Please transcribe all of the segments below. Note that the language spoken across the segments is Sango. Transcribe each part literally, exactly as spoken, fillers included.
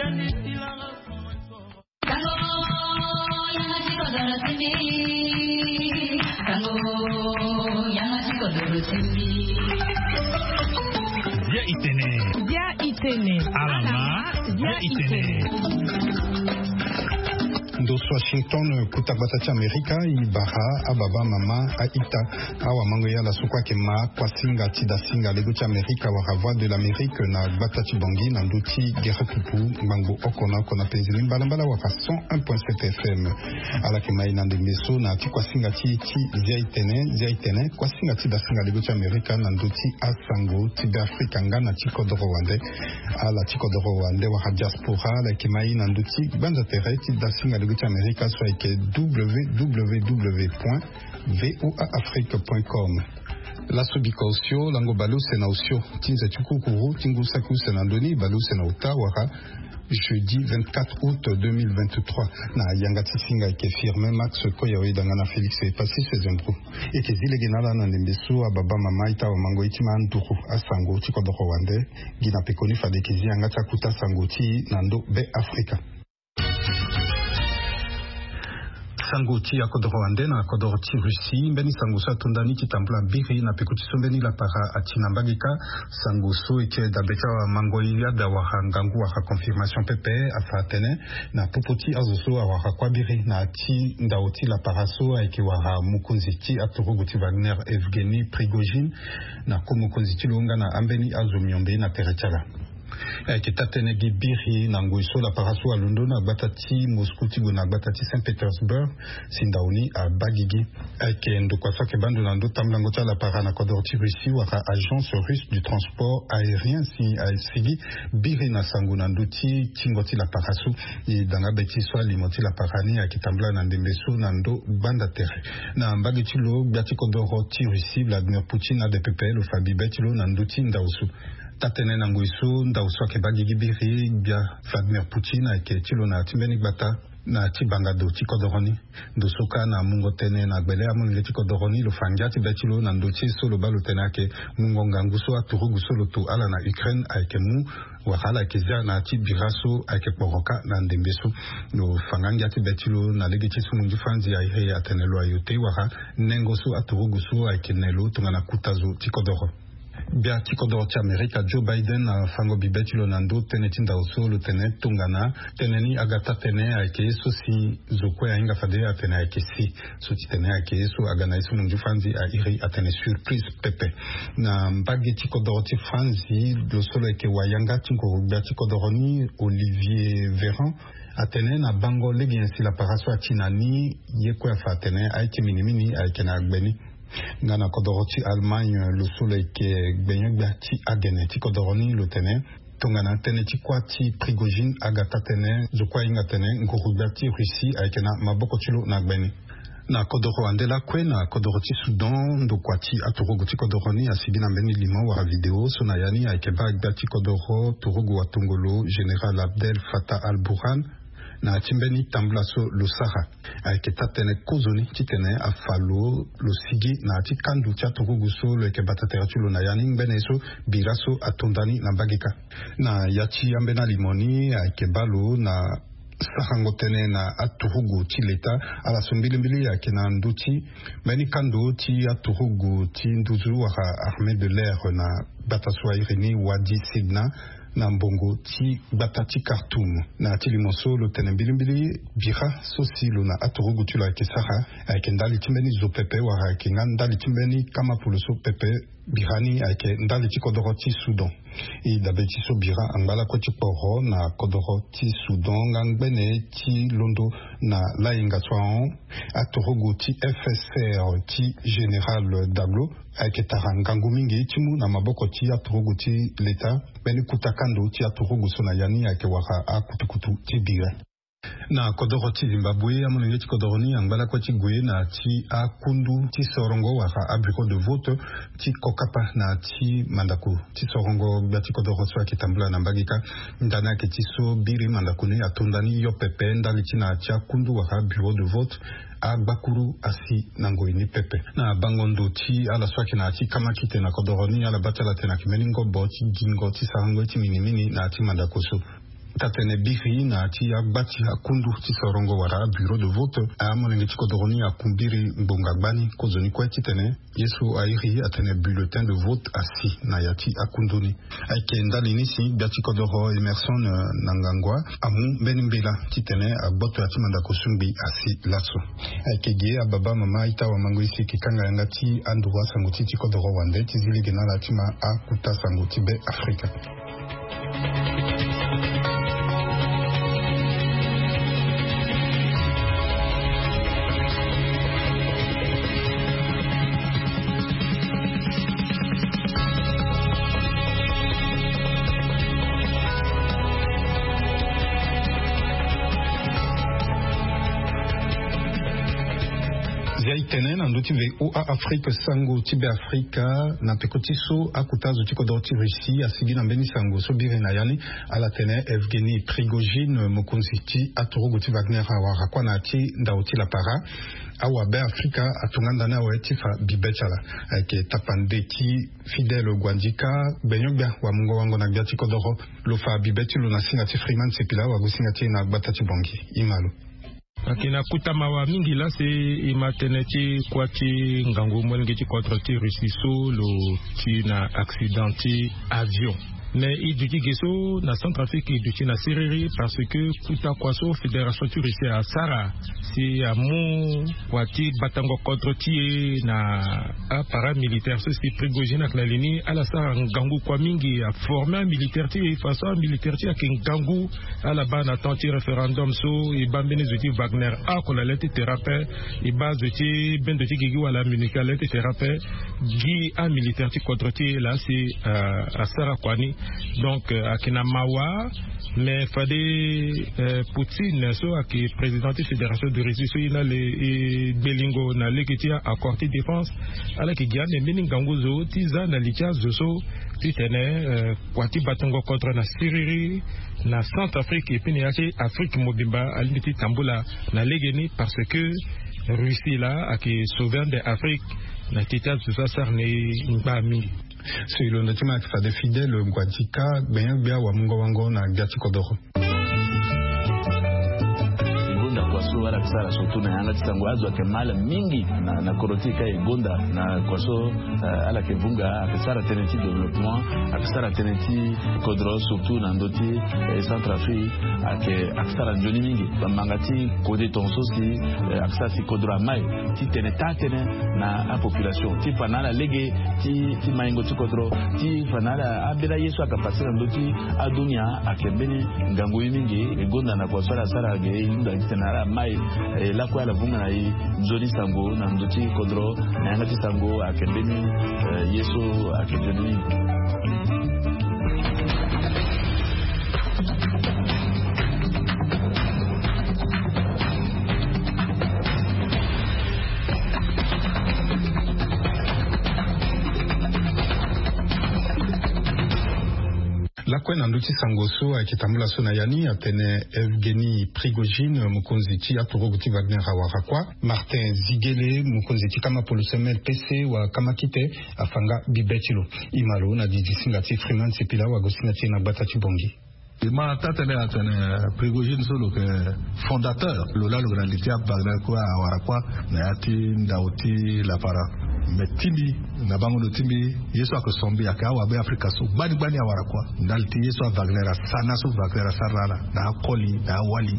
Bia itene. Bia itene. Alama. Bia itene. Ndo so Washington, kuta gbata ti Amerika, e bara ababa, mama, a-ita, awamango, ye ala so kue ayeke ma kuasinga ti dasinga lego ti Amerika wala Voix de l'Amérique na gbata ti Bangui na ndö ti gere pupu ngbangbo oko na oko na penzi ni mbalambala wala cent un point sept F M. Ala yeke ma e na ndembe so na ya ti kuasinga ti e ti Zia itene, Zia itene, kuasinga ti dasinga lego ti Amerika na ndö ti asango ti Beafrika nga na ti kodoro wande. Ala ti kodoro wande wala diaspora, ala yeke ma e na ndö ti gbanza tere ti dasinga lego ti Amerika so ayeke www point voa afrique point com. Laso biko osio, lango baleuse na osio ti nze ti kukuru ti ngu saki use na ndö ni, baleuse na ota wala jeudi vingt-quatre août deux mille vingt-trois. Na yanga ti singa ayeke Firmin Max Koyawe, danga na Félix Epassi Sezembro. E yeke zi lege na ala na ndembe so, ababa, mama, a-ita, awamango, e ti ma nduru asango ti kodoro wande. Gi na pekoni fade e yeke zi yanga ti akuta sango ti e na ndö Beafrika. Sango ti akodoro wande na kodoro ti Russie. Mbeni sango so atonda ni ti tambula biri na peko ti so mbeni lapara ati na mbage kâ. Sango so e yeke dabe ti awamango, yada wala ngangu wala confirmation pepe, afa atene na popo ti azo so awara kuâ biri na ya ti ndao ti lapara so ayeke wara mokonzi ti aturugu ti Wagner, Evgeny Prigozhin, na ko mokonzi ti lo nga na ambeni azo miombe na tere ti ala. Ayeke taa-tënë gi biri na ngoi so lapara so alondo na gbata ti Moscou ti gue na gbata ti Saint-Pétersbourg, si ndao ni abaa gigi. Ayeke ndokua so ayeke baa ndo na ndö tambulango ti alapara na kodoro ti Russie wala Agence Russe du Transport Aérien, si asigi biri na sango na ndö ti tingo ti lapara so. E danga be ti so alimo ti lapara ni ayeke tambula na ndembe so na ndö gbanda tere. Na mbage ti lo, gbia ti kodoro ti Russie Vladimir Poutine ade pepe, lo fa bibe ti lo na ndö ti ndao so. Taa-tënë na ngoi so ndao so ayeke baa gigi biri, gbia Vladimir Poutine ayeke ti lo na ya ti mbeni gbata na ya ti bangado ti kodoro ni. Ndo so kâ na mungo tënë na gbele amolenge ti kodoro ni, lo fa ngia ti be ti lo na ndö ti ye so lo baa lo tene ayeke mungo ngangu so aturugu so lo to ala na Ukraine ayeke mu, wala ala yeke zia na ya ti bira so ayeke kporo kâ na ndembe so. Lo fa nga ngia ti be ti lo na lege ti so munzu fanzi a iri atene lo ayo te, wala nengo so aturugu so ayeke ne lo tongana kuta zo ti kodoro. Gbia ti kodoro ti Amerika Joe Biden afango bibe ti lo na ndö tënë ti ndao so, lo tene tongana tënë ni aga taa-tënë ayeke ye so si zo kue ahinga fade atene ayeke si. So ti tene ayeke ye so aga na ye so munzu fanzi a iri atene surprise pepe. Na mbage ti kodoro ti Franzi, lo so lo yeke wayanga ti nguru gbia ti kodoro ni, Olivier Véran, atene na bango lege nyen si lapara so ati na ni, ye kue afa atene aye ti minimini ayeke na gbe ni. Nga na kodoro ti Allemagne, lo so lo yeke gbenyo-gbia ti agene ti kodoro ni, lo tene tongana tënë ti kuâ ti Prigozhin aga taa-tënë, zo kue ahinga atene nguru-gbia ti Russie ayeke na maboko ti lo na gbe ni. Na kodoro wande lakue, na kodoro ti Soudan, ndokua ti aturugu ti kodoro ni asibi na mbeni limo wala video so na ya ni ayeke baa gbia ti kodoro turugu watongolo Général Abdel Fattah al-Burhan, na ya ti mbeni tambula so lo sara. Ayeke taa-tënë kozoni titene afa lo, lo sigi na ya ti kando ti aturugu so lo yeke bata tere ti lo na ya ni, ngbene so bira so atonda ni na mbage kâ. Na ya ti ambeni alimo ni ayeke baa lo na sarango tënë na aturugu ti leta. Ala so mbilimbili ayeke na ndö ti mbeni kando ti aturugu ti nduzu wala armée de l'air na gbata so a iri ni Wadi Sidna, na mbongo ti gbata ti Khartoum. Na ya ti limo so lo tene mbilimbili, bira so si lo na aturugu ti lo ayeke sara ayeke ndali ti mbeni zo pepe wala ayeke nga ndali ti mbeni kamapolo so pepe. Bira ni ayeke ndali ti kodoro ti Soudan. E dabe ti so bira angba lakue ti kporo na kodoro ti Soudan nga ngbene ti londo na layenga so ahon, aturugu ti F S R ti Général Daglo ayeke tara ngangu mingi ti mu na maboko ti aturugu ti leta mbeni kuta kando ti aturugu so na ya ni ayeke wara akutukutu ti bira. Na kodoro ti Zimbabwe, amolenge ti kodoro ni angba lakue ti gue na ya ti akundu ti sorongo wala abureau de vote ti kokapa na ya ti mandako ti sorongo gbia ti kodoro so ayeke tambula na mbage kâ. Ndani ayeke ti so biri mandako ni atonda ni yo pepe ndali ti na ya ti akundu wala bureau de vote, agbakuru asi na ngoi ni pepe. Na bango ndo ti ala so ayeke na ya ti kamakite na kodoro ni, ala baa ti ala tene ayeke mbeni ngobo ti gingo ti sarango ye ti minimini na ya ti mandako so. Tatene biri na ti agba ti akundu ti sorongo wala abureau de vote, amolenge ti kodoro ni akumbiri ngbonga gbani kozoni kue titene ye so airi atene bulletin de vote asi na ya ti akundu ni. Ayeke ndali ni si gbia ti kodoro Emerson, eh, na ngangua amu mbeni mbela titene agboto ya ti mandako sungbi asi laso. Ayeke ge ababa mama ita wamango isi eke kanga yanga ti anduru asango ti ti kodoro wande ti zi lege na ala ti ma akuta sango ti be afrika. Zia itene na ndö ti VOA Afrique, sango ti be Afrika. Na peko ti so akuta azo ti kodoro ti Russie asigi na mbeni sango so biri na ya ni, ala tene Evgeny Prigogine, mokonzi ti aturugu ti Wagner, awara kua na ya ti ndao ti lapara. Awabe Afrika atonga ndani awe ti fa bibe ti ala. Ayeke tapande ti Fidèle Guandika, gbenyo-gbia wamungo-wango na gbia ti kodoro, lo fa bibe ti lo na singa ti Freeman Sepila, wagosinga ti e na gbata ti Bongi. Ima lo. Ayeke na kota mawa mingi laa si e ma tënë ti kuâ ti ngangu molenge ti kodro ti Russie so lo ti na accident ti avion. Mais e duti ge so na Centrafrique e duti na siriri, parce que kota kua so fédération ti Russie asara si amu kua ti batango kodro ti e na aparamilitaire so si Prigogine ayeke na li ni, ala sara ngangu kua mingi, aforme amilitaire ti e façon amilitaire ti e ayeke ngangu. Ala baa na temps ti référendum so e baa mbeni zo ti Wagner oko na le ti terrain ape. E baa zo ti bendo ti gigi wala MINUSCA na le ti terrain ape. Gi amilitaire ti kodro ti e laa si, euh, asara kua ni. Donc, euh, ayeke na mawa. Mais fade, euh, Poutine so ayeke président ti fédération de Russie so e na le e gbelingo na lege ti accord ti défense, ala yeke gi ande mbeni ngangu zo ti za na li ti azo so titene, euh, kua ti batango kodro na siriri na Centrafrique et puis na ya ti Afrique mobimba alingbi ti tambula na legeni, parce que Russie laa ayeke sauver ande Afrique na ti ti azo so asara na e ngbaa mingi. So e londo ti ma ayeke fade Fidèle Guadika, gbenyo-gbia wamungo-wango na gbia ti kodoro. E gonda kua so ala yeke sara surtout na yanga ti sango, azo ayeke mal mingi na, na kodro ti e ka e gonda na kua so, eh, ala yeke vunga, ayeke sara tënë ti développement, ayeke sara tënë ti kodro surtout na ndö ti, eh, Centrafrique, ayeke, ayeke sara nzoni mingi. Bambanga ti kode tongaso si, eh, ayeke sara si kodro amai titene taa tënë na apopulation ti fa na ala lege ti, ti maingo ti kodro, ti fa na ala ambeni aye so ayeke pase na ndö ti adunia. Ayeke mbeni ngangu ye mingi. E gonda na kua so ala sara ge, e hunda titene ala mai, eh, lakue ala vunga na e nzoni sango na ndö ti kodro. Na yanga ti sango ayeke mbeni, eh, ye so ayeke nzoni mingi. Lakue na ndö ti sango so ayeke tambula so na ya ni, atene Evgeny Prigogine, mokonzi ti aturugu ti Wagner, awara kua. Martin Zigele, mokonzi ti kama poloso M L P C wa kama kite, afa nga bibe ti lo. Ima lo na didi singa ti Freeman Sepila, wagosinga ti e na gbata ti Bongi. E ma taa tënë atene Prigogine so lo yeke fondateur, lo laa lo yeke na li ti Wagner kue, awara kua na ya ti ndao ti lapara. Me ti mbi, na bango ndo ti mbi, ye so ayeke sombi ayeke awabe Afrika so gbani gbani awara kua ndali ti ye so a Wagner asara na so Wagner asara na ala, na akoli na awali.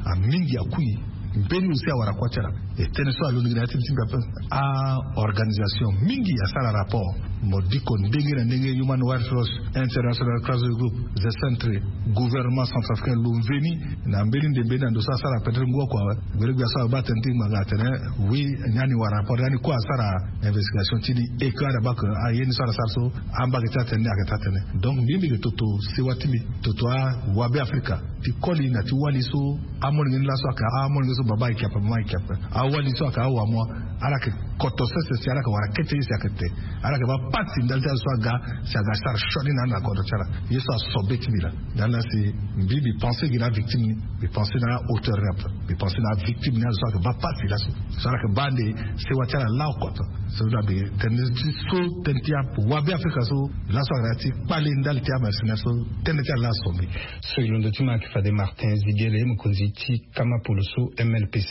Amingi akui. Mbeni aussi awara kua ti ala. E tënë so alondo gi na ya ti mbi ti mbi ape. A-organisation mingi asara rapport. Mo diko ndenge na ndenge, Human Rights Watch, International Crisis Group, The Sentry, gouvernement centrafricain lo mveni na mbeni nde mbeni na ndo so asara peut-être ngu oko awe. Gbele gbia so abaa tënë ti ngbanga atene, oui, ni ani wara rapport, ni ani kue asara investigation ti ni, e ke ala baa ke, ah, ye ni so ala sara so, ambage ti atene ni ayeke taa tënë. Donc mbi mbi yeke toto sewa ti mbi, toto awabe Afrika, ti koli na ti wali so amolenge ni laso ayeke amolenge so baba ayeke ape, mama ayeke ape. Awali so ayeke awamua. Ala yeke koto sese si ala yeke wara kete ye si ayeke te. Ala yeke baa pasi ndali ti ala so aga si aga sara sioni na ala na kodro ti ala. Ye so asombe ti mbi laa. Ndali na si mbi mbi pense gi na avictime ni. Mbi pense na ahauteur ni ape. Mbi pense na avictime ni ala so ayeke baa pasi laso. So ala yeke baa ande sewa ti ala lao koto. So na mbi tene ti so tene ti ape wabe afrika so. Laso ayeke na ya ti kpale ndali ti amercenaire so. Tënë ti ala laa asombe. So e londo ti ma ayeke fade martin zigele mokonzi ti kama polo so mlpc.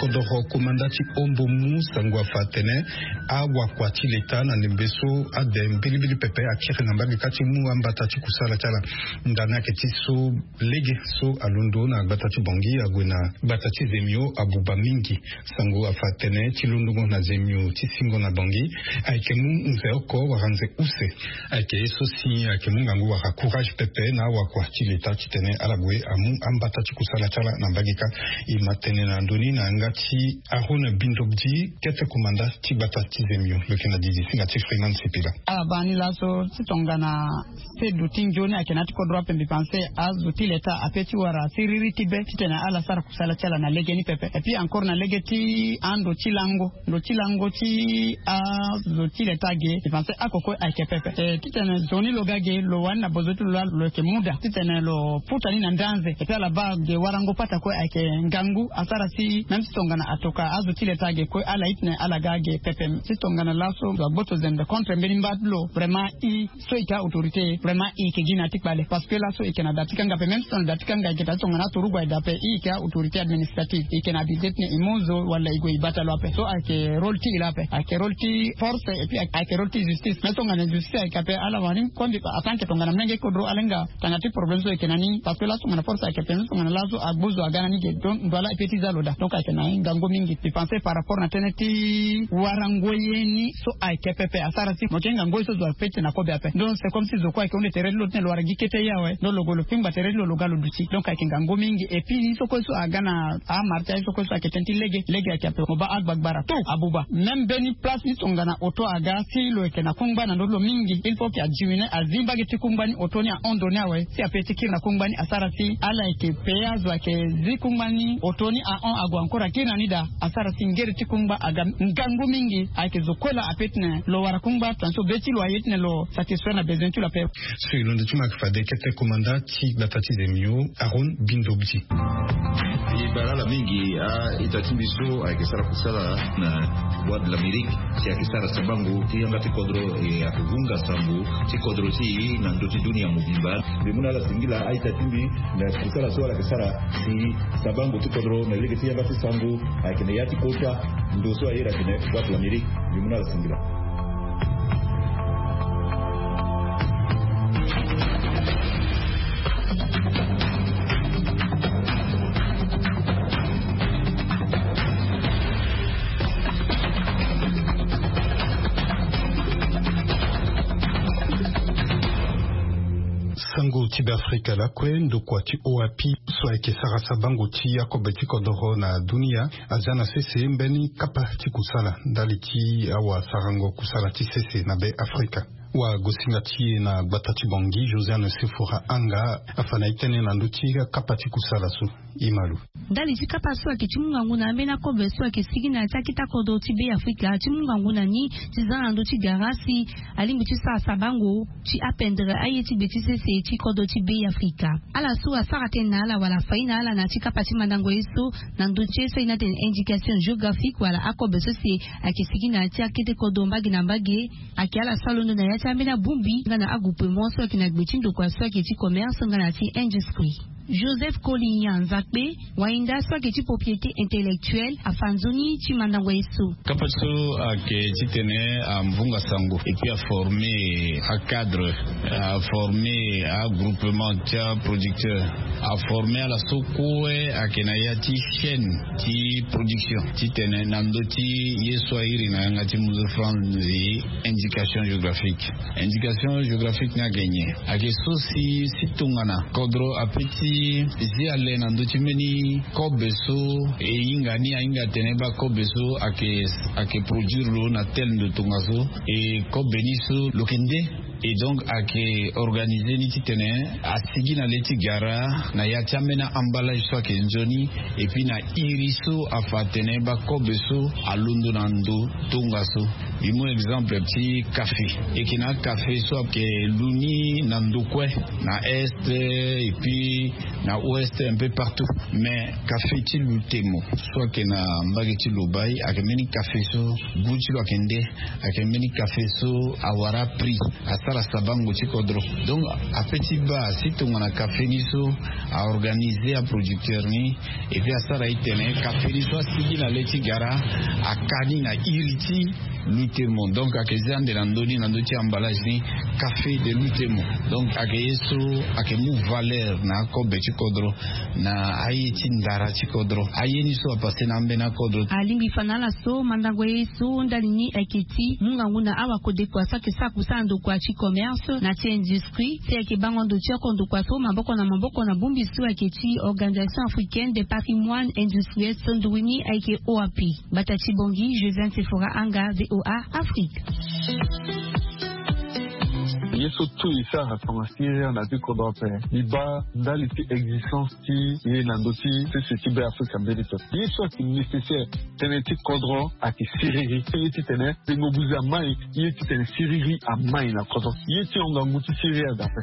Kodoro komanda ti ombo mu sango afa atene awakua ti leta na ndembe so ade mbilimbili pepe akiri na mbage kâ ti mu ambata ti kusala ti ala. Ndani ayeke ti so lege so alondo na gbata ti bongi ague na gbata ti zemio abuba mingi. Sango afa atene ti londongo na zemio ti singo na bongi ayeke mu nze oko wala nze use. Ayeke ye so si ayeke mu ngangu wala courage pepe na awakua ti leta titene ala gue amu ambata ti kusala ti ala na mbage kâ. E ma tene na ndö ni na yanga ti arona bindobdi kete komanda ti gbata ti zemio lo yeke na didi singa ti freeman sipila. Ala baa ni laso ti tongana sedu ti nzoni ayeke na ya ti kodro ape mbi pense azo ti leta ape ti wara siriri ti be titene ala sara kusala ti ala na lege ni pepe et puis encore na lege ti ando ti lango ndo ti lango ti azo ti leta ge mbi pense akokue ayeke pepe. Titene zo ni lo ga ge lo wani na bozo ti lo laa lo yeke mu daa titene lo puta ni na ndanze et puis ala baa ge warango pata kue ayeke ngangu asara si même ti tongana atoka azo ti leta ge kue ala itene ala ga ge pepe. Ti tongana laso zo agboto zembe contre mbeni mba ti lo vraiment i so ike autorité vraiment i ike gi na ti kpale parce que laso ike na da ti kanga pe même si tongana da ti kanga ike ta ti tongana aturugu aye da pe i ike autorité administrative ike na abilité tene i mu zo wala i gue i bata lo ape so ayeke rôle ti i la ape ayeke rôle ti force et puis ayeke rôle ti justice mais tongana justice ayeke ape ala wani kondi atanke tongana mlenge kodro ala hinga tanga ti problème so ike na ni parce que laso tongana force ayeke ape même tongana laso agbu zo aga na ni ge donc ndo ala e pe ti za lo daa donc ayeke na hingango mingi mbi pense par rapport na tënë ti warango ye ni so ayeke pepe asara si mo yeke hingango ye so zo ape ti na kobe ape donc c'est comme si zo kue ayeke hunde tere ti lo titene lo wara gi kete ye awe donc lo gue lo pingba tere ti lo lo ga lo duti donc ayeke ngango mingi et puis ni so kue so aga na amara ti aye so kue so ayeke tënë ti lege lege ayeke ape mo baa agbagbara tout abuba même mbeni place ni tongana oto aga si lo yeke na kungba na ndö ti lo mingi il faut ke adiminue azi mbage ti kungba ni oto ni ahon ndo ni awe si ape ti kiri na kungba ni asara si ala yeke pe azo ayeke zi kungba ni oto ni ahon ague encore akiri na ni daa asara si ngere ti kungba aga ngangu mingi ayeke zo kue laa ape titene lo wara kungba tongana so be ti lo aye titene lo satisfaire na besoin ti lo ape. So e londo ti mo ayeke fade kete komanda ti gbata ti zemio aron bindobdi. E bara ala mingi a-ita ti mbi so ayeke sara kusala na bois de l'amérique si ayeke sara sabango ti yanga ti kodro e ayeke vunga sango ti kodro ti e na ndö ti dunia mobimba. Mbi mu na ala singila a-ita ti mbi na kusala so ala yeke sara si sabango ti kodro na lege ti yanga ti sango ayeke na ya ti kota ndo so aye ayeke na bois de l'amérique. Mbi mu na ala singila. Sango ti beafrika lakue ndokua ti oapi so ayeke sara sabango ti akobe ti kodoro na dunia aza na sese mbeni kapa ti kusala ndali ti awasarango kusala ti sese na beafrika. Wagosinga ti e na gbata ti bongi josiane sefora anga afa na e tënë na ndö ti akapa ti kusala so. Imalu. Ndali ti kapa so ayeke ti mu ngangu na ambeni akobe so ayeke sigi na ya ti akete akodro ti beafrika ti mu ngangu na ni ti za na ndö ti gara si alingbi ti sara sabango ti apendre aye ti gbe ti sese ti kodro ti beafrika. Ala so asara tënë na ala wala afai na ala na ya ti kapa ti mandango ye so na ndö ti ye so aye ni atene indication géographique wala akobe so si ayeke sigi na ya ti akete kodro mbage na mbage. Ayeke ala so alondo na ya ti ambeni abongbi nga na agroupement so ayeke na gbe ti ndokua so ayeke ti commerce nga na ya ti industrie. Joseph kolinya nzakpe wainda so ayeke ti propriété intellectuelle afa nzoni ti mandango ye so. Kapa so ayeke titene amvunga sango et puis aforme acadre, aforme agroupement ti aproducteur, aforme ala so kue ayeke na ya ti chaîne ti production titene na ndö ti ye so airi na yanga ti muzu franzi indication géographique. Indication géographique ni ayeke nyen? Ayeke so si si tongana kodro ape ti Ti zi ale na ndö ti mbeni kobe so e hinga ni ahinga atene baa kobe so ayeke ayeke produire lo na tel ndo tongaso. E kobe ni so lo yeke nde. E donc ayeke organize ni titene asigi na le ti gara na ya ti ambeni emballage so ayeke nzoni. Et puis na iri so afa atene bakobe so alondo na ndo tongaso. Bi mu exemple ti kafe. E yeke na akafe so ayeke lu ni na ndo kue na est et puis na ouest un peu partout. Mais kafe ti lutemo so ayeke na mbage ti lobai ayeke mbeni kafe so gu ti lo ayeke nde. Ayeke mbeni kafe so awara prix asara sabango ti kodro. Donc ape ti baa si tongana kafe ni so aorganize aproducteur ni. Et puis asara itene kafe ni so asigi na le ti gara aka ni na iri ti lutemo. Donc ayeke zia nde na ndö ni na ndö ti emballage ni kafe de lutemo. Donc ayeke ye so ayeke mu valeur na akobe ti kodro na aye ti ndara ti kodro aye ni so apase na ambeni akodro. Alingbi fa na ala so mandango ye so ndali ni ayeke ti mu ngangu na awakodekua so ayeke sara kusala ndokua ti commerce na ti industrie si ayeke bango ndo ti oko ndokua so maboko na maboko na bongbi so ayeke ti organisation africaine des patrimoines industriels so nduru ni ayeke oap. Gbata ti bongi josiane sefora anga voa afrique. Ye so tout e sara tonga siriri na ti kodro ape. Mbi baa ndali ti existence ti ye na ndö ti sese ti be afrika mbeni pepe ye so ayeke nécessaire. Tënë ti kodro ayeke siriri ye titene tengo buzi amai ye titene siriri amai na kodro ye ti honga ngu ti siriri aga ape.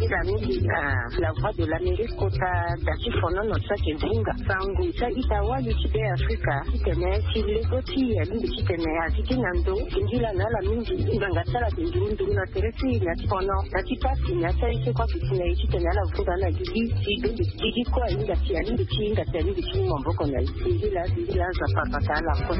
Nzila mingi na la voie de l'amérique kota da ti fonono so ayeke zinga sango so aita wali ti be afrika titene ti lego ti alingbi titene azi ti na ndo. Nzila na ala mingi ngbanga ti ala ayeke nduru nduru na tere ti na ti fono na ti pasi na ti aye ti kue ayeke si na ye titene ala vunga na gigi ti dondo ti gigi kue ahinga si alingbi ti hinga si alingbi ti mu maboko na ye. Singila nzapa abata ala kue.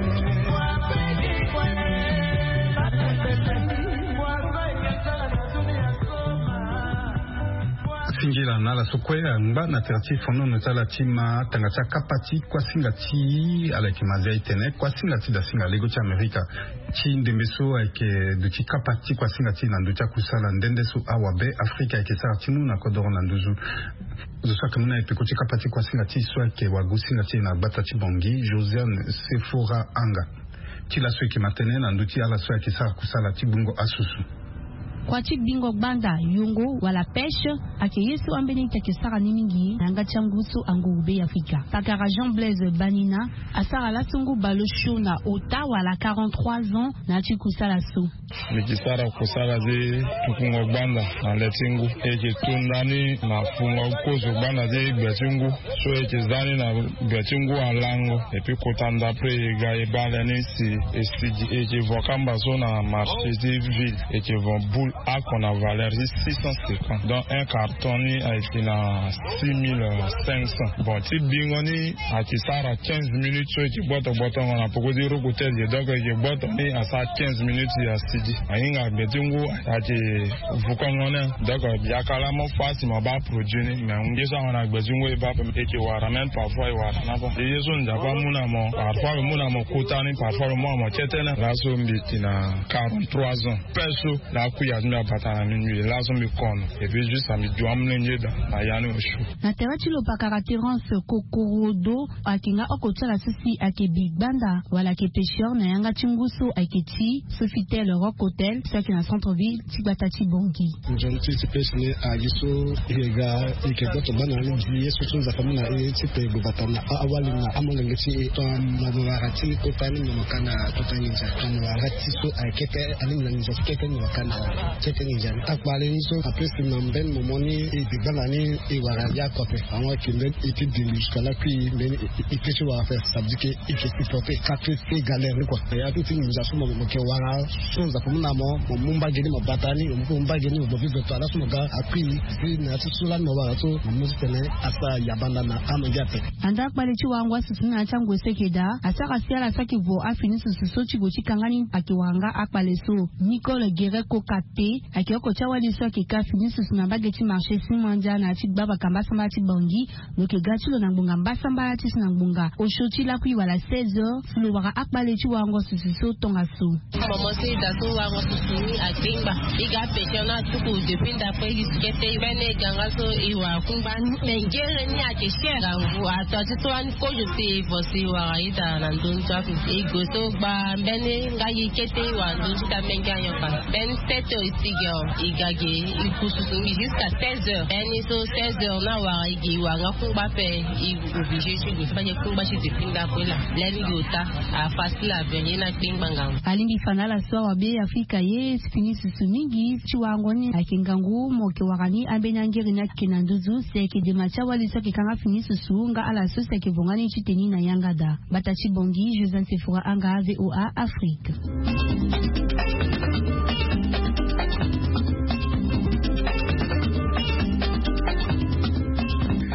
Singila na ala so kue angba na tere ti fonono ti ala ti ma tanga ti akapa ti kuasinga ti ala yeke ma zia itene kuasinga ti dasinga lego ti amerika ti ndembe so ayeke duti kapa ti kuasinga ti na ndö ti akusala nde nde so awabe afrika ayeke sara ti mu na kodoro na nduzu. Zo so ayeke mu na e peko ti kapa ti kuasinga ti so ayeke wagosinga ti e na gbata ti bongi josiane sefora anga. Ti laso e yeke ma tënë na ndö ti ala so ayeke sara kusala ti gbungo asusu. Kua ti gbingo gbanda yongo wala pêche ayeke ye so ambeni ti ayeke sara ni mingi na yanga ti angu so anguru be ya afrika pakara jean blaise banina asara laso ngu baleosio na ota wala quarante-trois ans. Na ya ti kusala so. Mbi yeke sara kusala ti tukungo gbanda na le ti ngu e yeke tu ndani na fungo kozo gbanda ti gbe ti ngu so e yeke za ni na gbe ti ngu alango. Epui kota ndapre e ga e baa le ni si e sigi e yeke vo kamba so na marché ti ville e yeke vo boule ako na valeur ti six cent cinquante donc un carton ni ayeke na six mille cinq cents. Bon ti bingo ni ayeke sara quinze minutes so e yeke gboto gbotongo na poko ti rokotel ye donc e yeke gboto ni asara quinze minutes ya sigi ahinga gbe ti ngu ayeke vukongo ni. Donc yaka laa mo fâ si mo baa produit ni mais ngu ye so ahon na gbe ti ngu e baa e yeke wara même parfois e wara na fâ e ye so nzapa amu na mo parfois lo mu na mo kota ni parfois lo mu na mo kete ni laso mbi yeke na quarante-trois ans. Pêche so na akuya ti mbi abata na mbi mbi laso mbi kono. Epui juste mbi du amolenge daa na ya ni osio. Na tere ti lo pakara terence kokorodo ayeke nga oko ti ala so si ayeke bi gbanda wala ayeke pêcheur na yanga ti ngu so ayeke ti sofitel rokotel so ayeke na centre ville ti gbata ti bongi. Nzoni ti ti pêche ni agi so e yeke ga e yeke gboto gbanda na ni gi ye so so nzapa amu na e ti pe gbo bata na awali na amolenge ti e tongana mo wara ti kota ni mo ka na kota nginza mo wara ti so ayeke kete alingbi na nginza ti kete ni mo ka na kete nginza ni akpale ni so apesi na mbeni momo ni e bi gbanda ni e wara ya kope. Ango ayeke mbeni e ti dili jusqu'à lakui mbeni e ti wara ape ça veut dire que e ke supporter kate ti galère ni kua. Ya tout ti nginza so mo ke wara so nzapa amu na mo mo mu mbage ni mo bata ni mo mu mbage ni mo bobi veto ala so mo ga akui si na ya ti so lani mo wara so mo mu titene asara yabanda na amenge ape. Anda akpale ti warango asusu ni na ya ti angue so ayeke daa asara si ala saki vo afini susu so ti gue ti kanga ni ayeke wara nga akpale so. Nicole guerret kokate. Ayeke oko ti awali so ayeke ka fini susu na mbage ti marché Simandia na ya ti gba bakamba sambala ti Bangui. Lo yeke ga ti lo na ngbonga mbasambala ti so na ngbonga osio ti lakui wala seize heures si lo wara akpale ti warango susu so tongaso. Momo so e daa so warango susu ni akpengba. E ga pêcheur ni atuku depuis ndapre e gi kete mbeni e ga nga so e wara kungba ni me ngere ni ayeke cher. Ngangu ato ati so wani kozo si e vo si e wara ita na ndoni so ape. E gue so gba mbeni nga gi kete e wara ndoni so ita menge anyoka. Mbeni sept heures e ti gi awe e ga gi e ku susu ngi jusqu'à seize heures. Mbeni so seize heures ni awara e gi e wara nga kungba ape. E obligé ti gue so fade kungba ti depuis ndapre laa. Lani gi ota afacile averien na kpengba ngangu. Alingbi fa na ala so awabe Afrika ye ti fini susu mingi ti warango ni ayeke ngangu mo yeke wara ni ambeni angere ni ayeke na nduzu si ayeke dema ti awali so ayeke kanga fini susu nga ala so si ayeke vonga ni ti teni na yanga daa. Bata ti Bangui, Joseph Sefora Anga, VOA Afrique.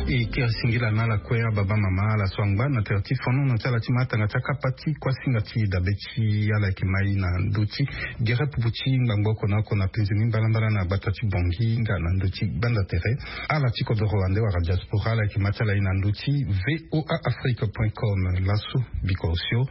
E kiri singila na ala kue ababa mama ala so angba na tere ti fono na ti ala ti matanga ti akapa ti kuasinga ti dabe ti ala yeke mai na ndö ti gere pupu ti ngbangbo oko na oko na penze ni mbalambala na gbata ti Bangui nga na ndö ti gbanda tere. Ala ti kodoro ande wala diaspora ala yeke ma ti ala ye na ndö ti VOA Afrique point com. Laso biko osio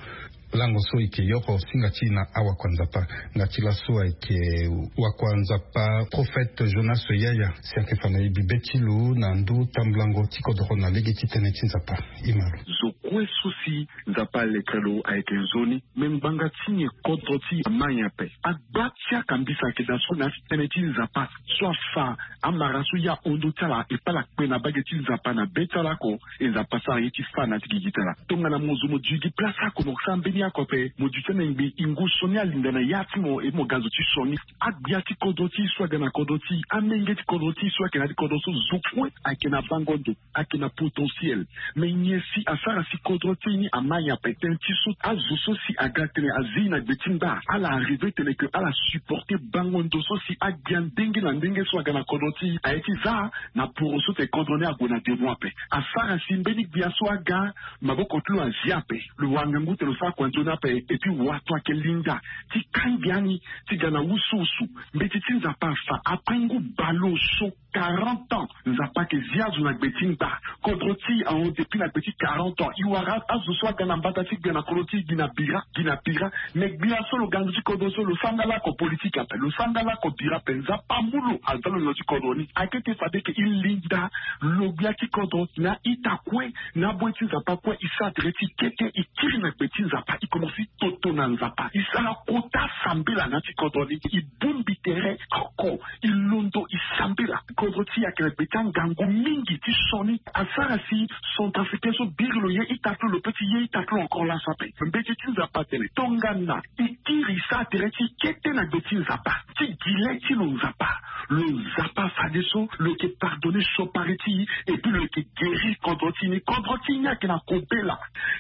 lango so e yeke yoro singa ti e na awakua nzapa. Nga ti laso ayeke wakua nzapa Prophète Jonas Yaya si ayeke fa na e bibe ti lo na ndö tambulango ti kodoro na lege ti tënë ti nzapa. E ma lo. Zo kue so si Nzapa aletre lo ayeke nzoni. Me ngbanga ti nyen kodro ti e ama nyen ape? Agba ti akambisa ayeke daa so na ya ti tënë ti Nzapa so afa amara so e ahon ndö ti ala e paa ala kpe na mbage ti Nzapa na be ti ala oko. E Nzapa asara ye ti fâ na ya ti gigi ti ala. Tongana mo zo mo dui gi place oko mo sara mbeni oko ape, mo dui ti anengbe e ngu sioni alinda na ya ti mo e mo ga zo ti sioni. Agbia ti kodro ti e so aga na kodro ti e, amenge ti kodro ti e so ayeke na ya ti kodro so, zo kue ayeke na bango ndo, ayeke na potentiel. Me nyen si asara si kodro ti e ni ama nyen ape? Tënë ti so azo so si aga tene azi na gbe ti ngba, ala arrivé tene ke ala supporté bango ndo so si agbia ndenge na ndenge so aga na kodro ti e. Aye ti za na poro so tene kodro ni ague na demo ape. Asara si mbeni gbia so aga, maboko ti lo azi ape. Lo wara ngangu tene lo sara kua nzoni ape. Et puis wato ayeke linda ti kangbi ani ti ga na wusuwusu. Mbeti ti Nzapa afa, après ngu baleoso quarante ans Nzapa ayeke zi azo na gbe ti ngba. Kodro ti e ahon depuis na gbe ti quarante ans. E wara azo so aga na mbata ti gbia na kodro ti e gi na bira, gi na bira. Me gbia so lo ga na ndö ti kodro so lo sara nga lako politique ape, lo sara nga lako bira ape. Nzapa amu lo aza lo na ndö ti kodro ni. Akete fade ke e linda lo gbia ti kodro na ita kue, na aboy ti Nzapa kue, e sara tere ti kete, e kiri na gbe ti Nzapa, e komanse toto na Nzapa, e sara kota sambela na ya ti kodro ni, e bongbi tere oko, e londo, e sambela. Kodro ti e ayeke na gbe ti angangu mingi ti sioni. Asara si centrafricain so biri lo ye ita ti lo, lo pe ti ye ita ti lo encore laso ape. Mbeti ti Nzapa atene tongana e kiri, e sara tere ti kete na gbe ti Nzapa, ti gi le ti lo Nzapa, lo Nzapa afadeso lo yeke pardonné siokpari ti e, et puis lo yeke guéri kodro ti e ni. Kodro ti e ni ayeke na kobela.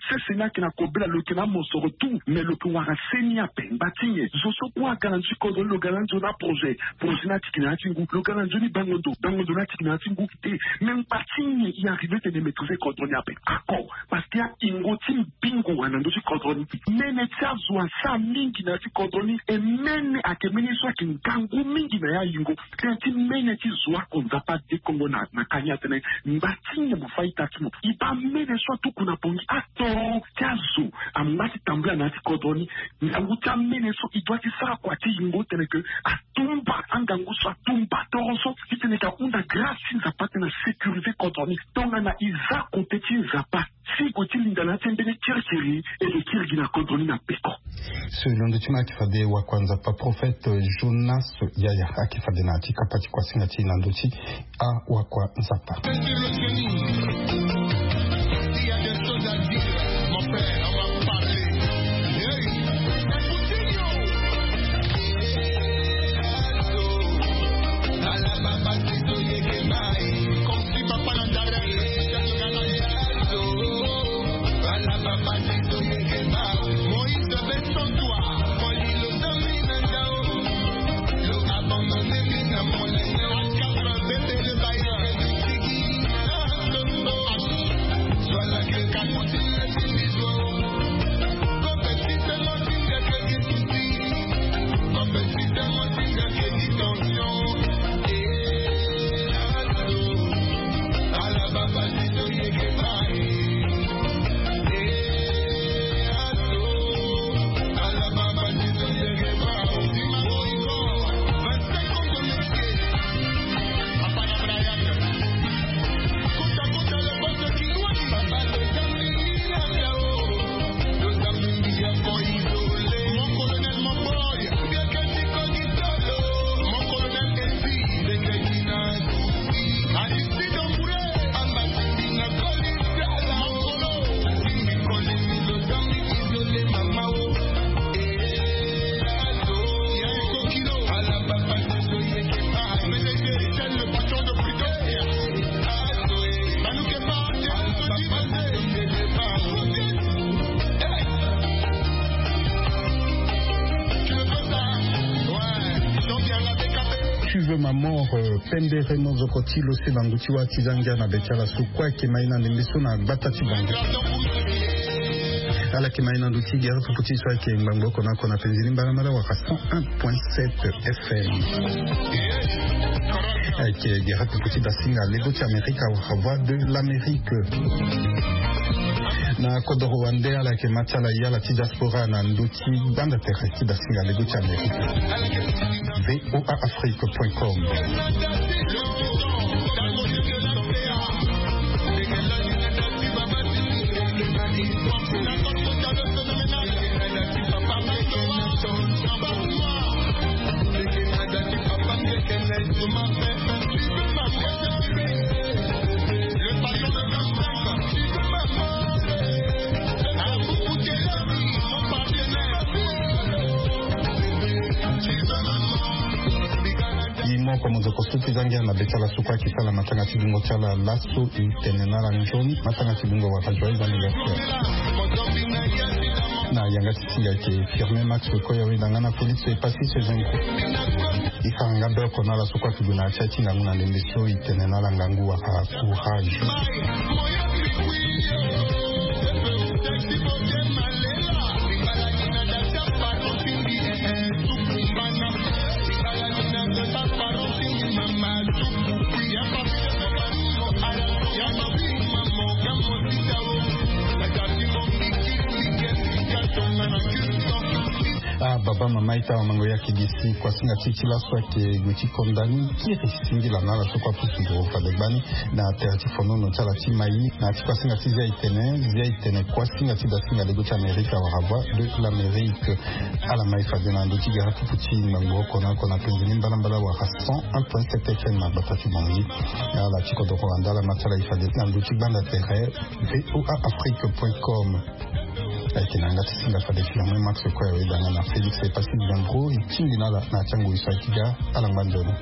Sese ni ayeke na kobela, lo yeke na amosoro tout, mais lo yeke wara seni ape. Ngba ti nyen? Zo so kue aga na ndö ti kodro ni, lo ga na nzoni aprojet, projet ni atiki na ya ti ngu. Lo ga na nzoni bango ndo, bango ndo ni atiki na ya ti ngu. Te, mais ngba ti nyen e arrivé tene e maîtrisé kodro ni ape? Ako, parce que ayingo ti mbingo ayeke na ndö ti kodro ni. Mene ti azo asara mingi na ya ti kodro ni. E mene ayeke mene so ayeke ngangu mingi na ya yingo. Tënë ti mene ti zo oko Nzapa adekongo na, na ka ni atene, ngba ti nyen mo fâ ita ti mo? E baa mene so atuku na Bangui, atoro ti azo angba ti tambula na ya ti kodro ni. Ngangu ti amene so e doit ti sara kua ti yingo tene ke atumba angangu so, atumba toro so, titene e ka hunda grâce ti Nzapa titene a sécurisé kodro ni. Tongana e za kote ti Nzapa, si e gue ti linda na ya ti mbeni kirikiri, e ke kiri gi na kodro ni na peko. So e londo ti ma ayeke fade wakua Nzapa Prophète Jonas Yaya ayeke fade na ya ti kapa ti kuasinga ti e na ndö ti awakua Nzapa. Vive ma mort. Pembe reno zoko ti lo se bangu ti wa ti za ngia na be ti ala so kue ayeke ma ye na ndembe so na gbata ti bango. Ala yeke ma ye na ndö ti gere pupu ti so ayeke ngbangbo oko na oko na penzi ni mbalambala wala cent un point sept F M. Ayeke gere pupu ti dasinga lego ti amerika wala voix de l'amérique. Na kodoro wande ala yeke ma ti ala ye ala ti diaspora na ndö ti gbanda tere ti dasinga lego ti amerika. V O A Afrique point com. Imo komo zo kosuki zangia na be ti ala so kue ayeke sala matanga ti dungo ti ala laso. E tene na ala nzoni matanga ti dungo wala joyeux anniversaire. Na yanga ti singa ayeke Firmin Max Okoya wenda nga na Félix Epassis Ezengo. E sara nga be oko na ala so kue ayeke gue na ya ti aye ti ngangu na ndembe so. E tene na ala ngangu wala courage. Ah, baba mama ita wa mango ya kigisi kuasinga ti ti laso ayeke gue ti konda ni kiri singila na ala so kue apusu nduru fade gbani na tere ti fonono ti ala ti mai. Na ya ti kuasinga ti zia itene zia itene kuasinga ti dasinga lego ti amerika wala voix de l'amérique. Ala mai fade na ndö ti gere pupu ti ngbangbo oko na oko na penzi ni mbalambala wala cent un point sept F M na gbata ti bongi. Ala ti kodoro wande ala ma ti ala e fade na ndö ti gbanda tere. V O A Afrique point com. Ayeke na yanga ti singa fade Firmin Max Okoya wenda nga na Félix Epassis Ezengo. E tingbi na ala na ya ti angoi so ayeke ga. Ala ngba nzoni.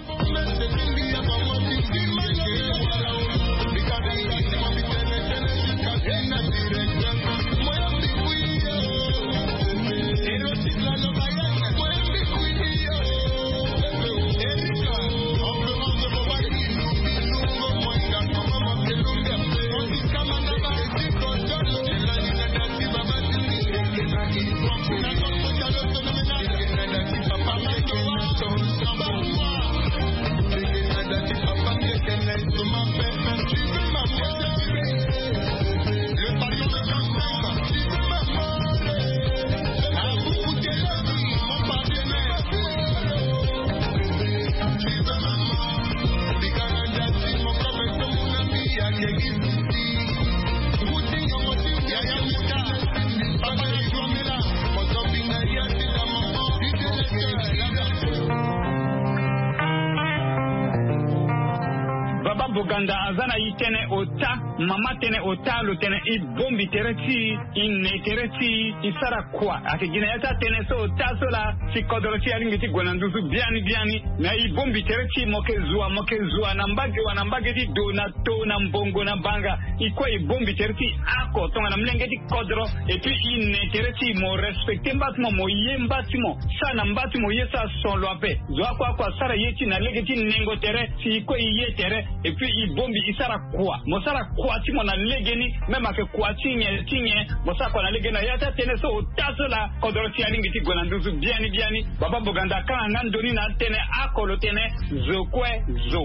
Baba Boganda aza na yi tënë ota, mama tënë ota, lo tene e bombi tere ti e, e ne tere ti e, e sara kua. Ayeke gi na ya ti atënë so ota so laa si kodro ti e alingbi ti gue na nduzu biani biani. Na e bombi tere ti e, mo yeke zua, mo yeke zua na mbage wa na mbage ti do na to na mbongo na banga. E kue e bombi tere ti e oko tongana molenge ti kodro. Et puis e ne tere ti e, mo respecte mba ti mo, mo ye mba ti mo, sara na mba ti mo ye, sara son lo ape. Zo oko oko asara ye ti e na lege ti nengo tere si e kue e ye tere. Et puis e bombi e sara kua, mo sara kua ti mo na legeni. Même ayeke kua ti nyen ti nyen, mo sara kua na legeni. Na ya ti atënë so ota so laa kodro ti e alingbi ti gue na nduzu biani biani. Baba Boganda akanga nga ndoni na atënë oko lo tene zo kue zo.